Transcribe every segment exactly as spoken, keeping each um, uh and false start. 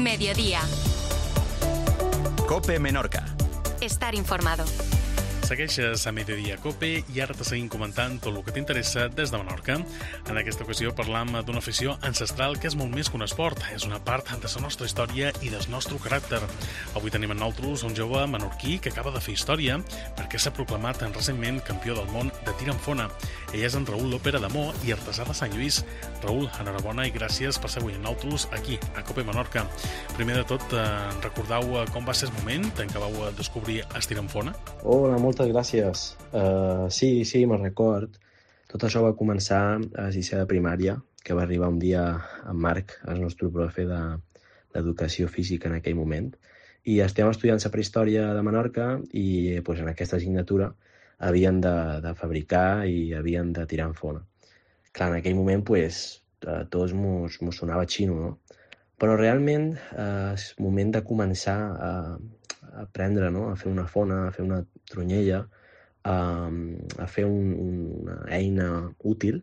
Mediodía. COPE Menorca. Estar informado. Segueixes a Mediodía COPE i ara te seguim comentant tot el que t'interessa des de Menorca. En aquesta ocasió parlam d'una afició ancestral que és molt més que un esport. És una part de la nostra història i del nostre caràcter. Avui tenim en nosaltres un jove menorquí que acaba de fer història perquè s'ha proclamat recentment campió del món de tir amb fona. Ell és en Raül López Adamó i artesà de Sant Lluís. Raül, enhorabona i gràcies per ser avui amb nosaltres aquí, a COPE Menorca. Primer de tot, eh, recordeu com va ser el moment en què vau descobrir el tir amb fona? Hola, moltes gràcies. Uh, sí, sí, me'n record. Tot això va començar a sisè de primària, que va arribar un dia en Marc, el nostre profe d'educació física en aquell moment, i estem estudiant la prehistòria de Menorca i pues, en aquesta assignatura havien de, de fabricar i havien de tirar en fona. Clar, en aquell moment pues, a tots mos, mos sonava xino, no? Però realment eh, és moment de començar a, a aprendre, no? A fer una fona, a fer una tronyella, a, a fer un, una eina útil,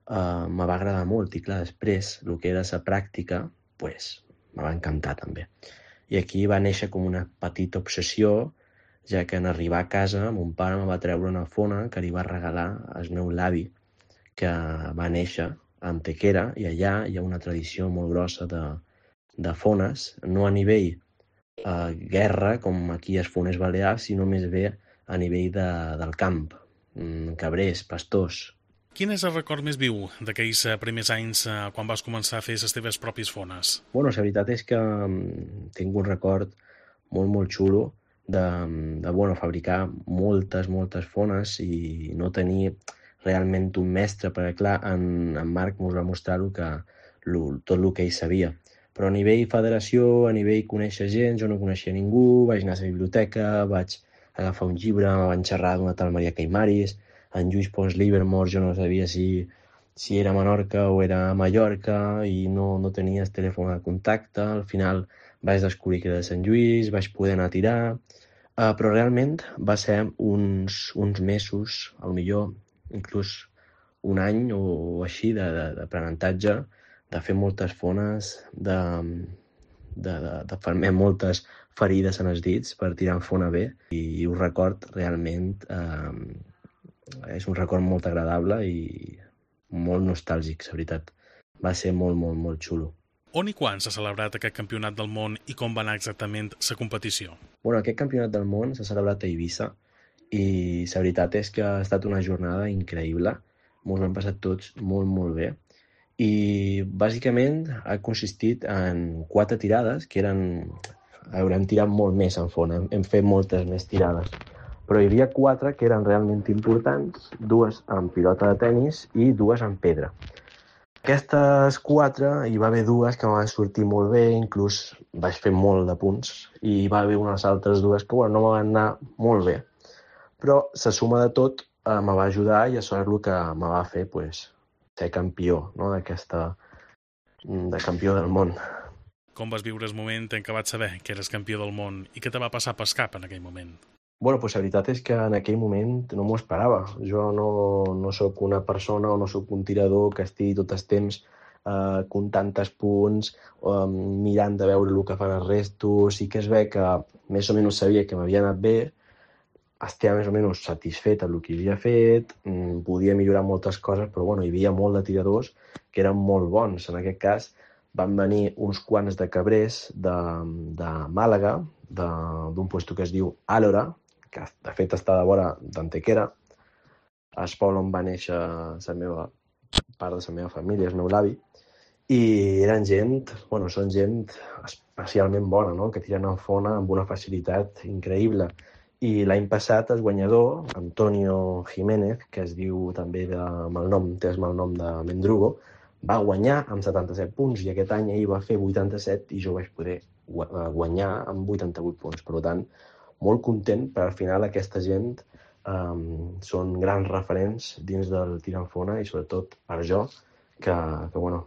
uh, me va agradar molt. I clar, després, el que era la pràctica, pues, me va encantar també. I aquí va néixer com una petita obsessió, ja que en arribar a casa mon pare me va treure una fona que li va regalar al meu l'avi, que va néixer a Antequera, i allà hi ha una tradició molt grossa de, de fones, no a nivell eh, guerra, com aquí a les fones balears, sinó més bé a nivell de, del camp, cabrers, pastors. Quin és el record més viu d'aquells primers anys quan vas començar a fer les teves pròpies fones? Bueno, la veritat és que tinc un record molt, molt xulo de, de bueno, fabricar moltes, moltes fones i no tenir realment un mestre, perquè clar, en, en Marc mos va mostrar lo que, lo, tot el que ell sabia. Però a nivell federació, a nivell conèixer gent, jo no coneixia ningú, vaig anar a la biblioteca, vaig agafar un llibre, me van xerrar d'una tal Maria Caimaris, en Lluís Pons Livermore, jo no sabia si, si era a Menorca o era a Mallorca i no, no tenia el telèfon de contacte. Al final vaig descobrir que era de Sant Lluís, vaig poder anar a tirar, uh, però realment va ser uns, uns mesos, al millor inclús un any o així d'aprenentatge, de fer moltes fones, de, de, de, de fer moltes ferides en els dits per tirar en fona bé, i ho record realment, eh, és un record molt agradable i molt nostàlgic, la veritat. Va ser molt, molt, molt xulo. On i quan s'ha celebrat aquest campionat del món i com va anar exactament la competició? Bueno, aquest campionat del món s'ha celebrat a Eivissa i la veritat és que ha estat una jornada increïble. Ens ho hem passat tots molt, molt bé. I bàsicament ha consistit en quatre tirades que eren... Haurem tirat molt més en fona, hem fet moltes més tirades. Però hi havia quatre que eren realment importants, dues amb pilota de tennis i dues amb pedra. Aquestes quatre, hi va haver dues que van sortir molt bé, inclús vaig fer molt de punts, i hi va haver unes altres dues que bueno, no me van anar molt bé. Però la suma de tot eh, me va ajudar i això és el que me va fer pues, ser campió, no? d'aquesta, de campió del món. Com vas viure el moment en què vaig saber que eres campió del món i què te va passar pel cap en aquell moment? Bueno, pues la veritat és que en aquell moment no m'ho esperava. Jo no, no sóc una persona o no sóc un tirador que estigui tot el temps eh, comptant els punts, eh, mirant de veure el que fan els restos. Sí que es ve que més o menys sabia que m'havia anat bé, estava més o menys satisfet amb el que havia fet, podia millorar moltes coses, però bueno, hi havia molt de tiradors que eren molt bons. En aquest cas van venir uns quants de cabrers de, de Màlaga, d'un lloc que es diu Àlora, que de fet està de vora d'Antequera, el poble on va néixer la meva part de la meva família, el meu avi, i eren gent, bueno, són gent especialment bona, no? Que tiren en fona amb una facilitat increïble. I l'any passat el guanyador, Antonio Jiménez, que es diu també de malnom, té el malnom de Mendrugo, va guanyar amb setanta-set punts i aquest any ell va fer vuitanta-set i jo vaig poder guanyar amb vuitanta-vuit punts. Per tant, molt content, perquè al final aquesta gent um, són grans referents dins del tir en fona i sobretot per jo, que, que bueno,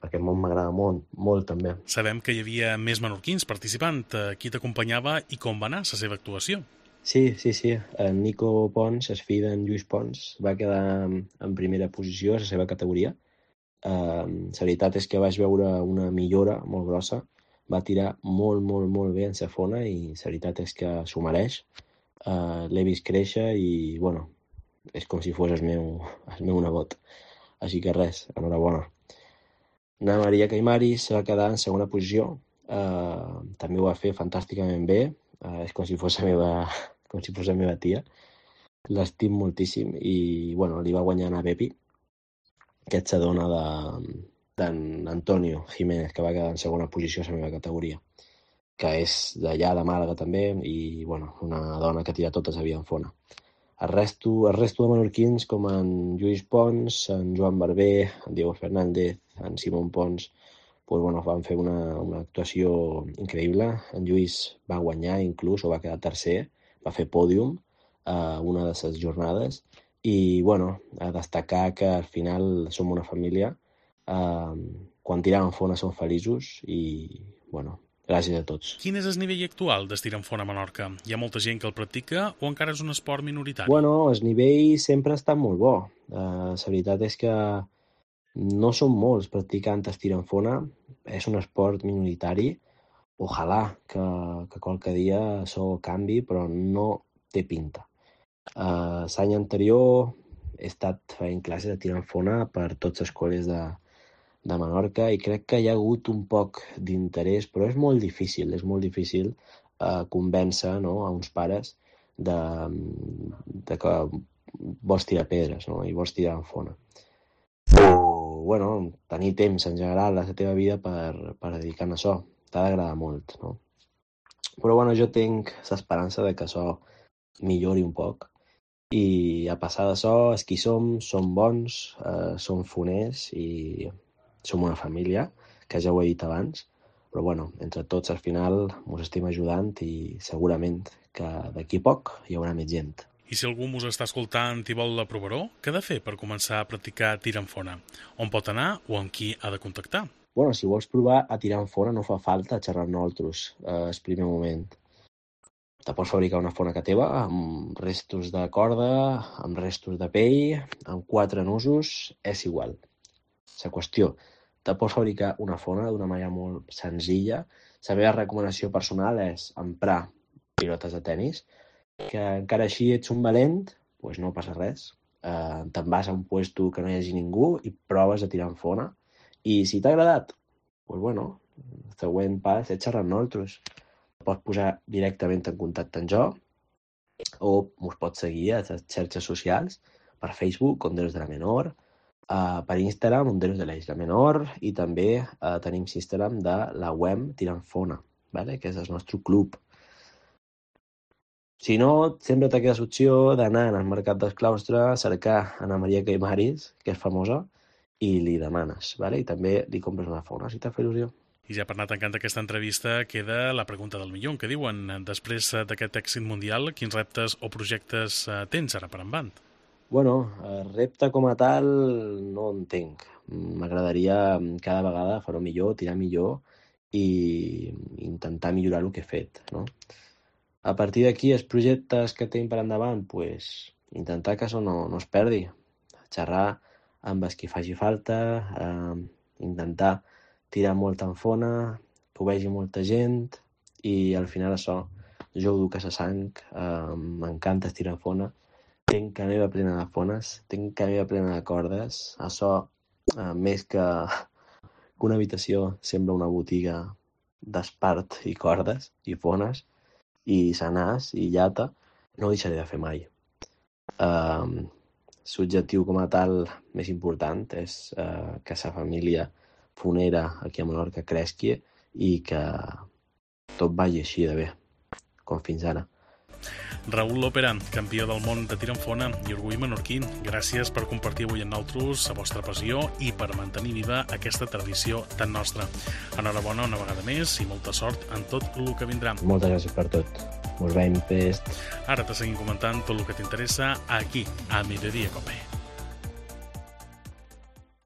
aquest món m'agrada molt, molt també. Sabem que hi havia més menorquins participant. Qui t'acompanyava i com va anar la seva actuació? Sí, sí, sí. En Nico Pons, el fill d'en Lluís Pons, va quedar en primera posició a la seva categoria. Uh, la veritat és que vaig veure una millora molt grossa va tirar molt, molt, molt bé en Safona i la veritat és que s'ho mereix. Uh, L'he vist créixer i, bueno, és com si fos el meu, el meu nebot. Així que res, enhorabona. Na Maria Caimaris va quedar en segona posició. Uh, també ho va fer fantàsticament bé. Uh, és com si fos la meva, com si fos la meva tia. L'estim moltíssim i, bueno, li va guanyar a Bepi, que és la dona de, d'en Antonio Jiménez, que va quedar en segona posició a la meva categoria, que és d'allà, de Màlaga també, i, bueno, una dona que tira totes a Bianfona. El resto, el resto de menorquins, com en Lluís Pons, en Joan Barber, en Diego Fernández, en Simón Pons, pues, bueno, van fer una, una actuació increïble. En Lluís va guanyar inclús, o va quedar tercer, va fer pòdium a una de les jornades. I, bueno, a destacar que al final som una família. Uh, quan tirem en fona som feliços i, bueno, gràcies a tots. Quin és el nivell actual d'estir en fona a Menorca? Hi ha molta gent que el practica o encara és un esport minoritari? Bueno, el nivell sempre ha estat molt bo. Uh, la veritat és que no són molts practicant estir en fona. És un esport minoritari. Ojalà que, que qualque dia això canvi, però no té pinta. Uh, l'any anterior he estat fent classes de tir en fona per tots els col·les de, de Menorca i crec que hi ha hagut un poc d'interès, però és molt difícil, és molt difícil uh, convèncer, no, a uns pares de, de que vols tirar pedres, no, i vols tirar en fona. O, bueno, tenir temps en general a la teva vida per, per dedicar-ne a això. T'ha d'agradar molt, no? Però, bueno, jo tinc l'esperança de que això millori un poc. I a passar d'això, els qui som, som bons, eh, som foners i som una família, que ja ho he dit abans, però bueno, entre tots al final ens estem ajudant i segurament que d'aquí poc hi haurà més gent. I si algú us està escoltant i vol la provaró, què ha de fer per començar a practicar tir en fona? On pot anar o amb qui ha de contactar? Bueno, si vols provar a tirar en fona no fa falta xerrar amb nosaltres eh, el primer moment. Te pots fabricar una fona que teva amb restos de corda, amb restos de pell, amb quatre nusos, és igual. La qüestió, te pots fabricar una fona d'una manera molt senzilla. La meva recomanació personal és emprar pilotes de tennis, que encara així ets un valent, doncs no passa res. Eh, te'n vas a un puesto que no hi hagi ningú i proves a tirar en fona. I si t'ha agradat, doncs bueno, el següent pas és xerrar amb nosaltres. Pots posar directament en contacte amb jo o us pots seguir a les xarxes socials per Facebook, Honderos de la Menor, uh, per Instagram, Honderos de la Isla Menor, i també uh, tenim Instagram de la web Tirant Fona, ¿vale? Que és el nostre club. Si no, sempre te queda l'opció d'anar al Mercat del Claustre a cercar Ana Maria Caimaris, que és famosa, i li demanes, ¿vale? I també li compres una fona, si t'ha fet il·lusió. I ja per anar tancant aquesta entrevista queda la pregunta del millor, que diuen, després d'aquest èxit mundial, quins reptes o projectes tens ara per endavant? Bueno, el repte com a tal no en tinc. M'agradaria cada vegada fer-ho millor, tirar millor i intentar millorar el que he fet, no? A partir d'aquí, els projectes que tinc per endavant, pues, intentar que això no, no es perdi. Xerrar amb els que faci falta, eh, intentar tirar molt en fona, que ho vegi molta gent i al final això, jo ho duc a la sang, eh, m'encanta estirar fona, tinc la meva plena de fones, tinc la meva plena de cordes, això eh, més que una habitació sembla una botiga d'espart i cordes i fones i sanars i llata, no ho deixaré de fer mai. Eh, L'objectiu com a tal més important és eh, que la família fonera aquí a Menorca creixi i que tot vagi així de bé, com fins ara. Raül Lópera, campió del món de tir en fona i orgull menorquí, gràcies per compartir avui amb nosaltres la vostra passió i per mantenir viva aquesta tradició tan nostra. Enhorabona una vegada més i molta sort en tot el que vindrà. Moltes gràcies per tot. Us veiem pest. Ara te seguim comentant tot el que t'interessa aquí, a Mediodía Cope.